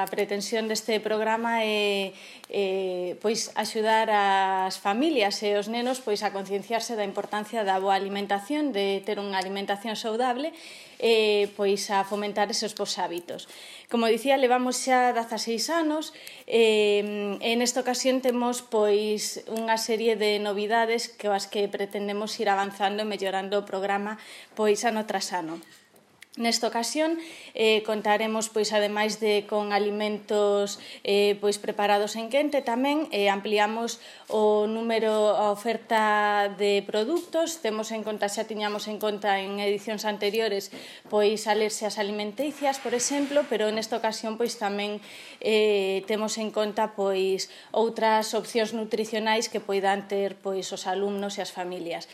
A pretensión deste programa é axudar as familias e os nenos a concienciarse da importancia da boa alimentación, de ter unha alimentación saudable e a fomentar esos bons hábitos. Como dicía, levamos xa 16 anos e nesta ocasión temos unha serie de novidades coas que pretendemos ir avanzando e mellorando o programa ano tras ano. Nesta ocasión contaremos, ademais de con alimentos preparados en quente, tamén ampliamos o número, a oferta de produtos. Temos en conta, xa tiñamos en conta en edicións anteriores, alerxias alimenticias, por exemplo, pero nesta ocasión tamén temos en conta outras opcións nutricionais que poidan ter os alumnos e as familias.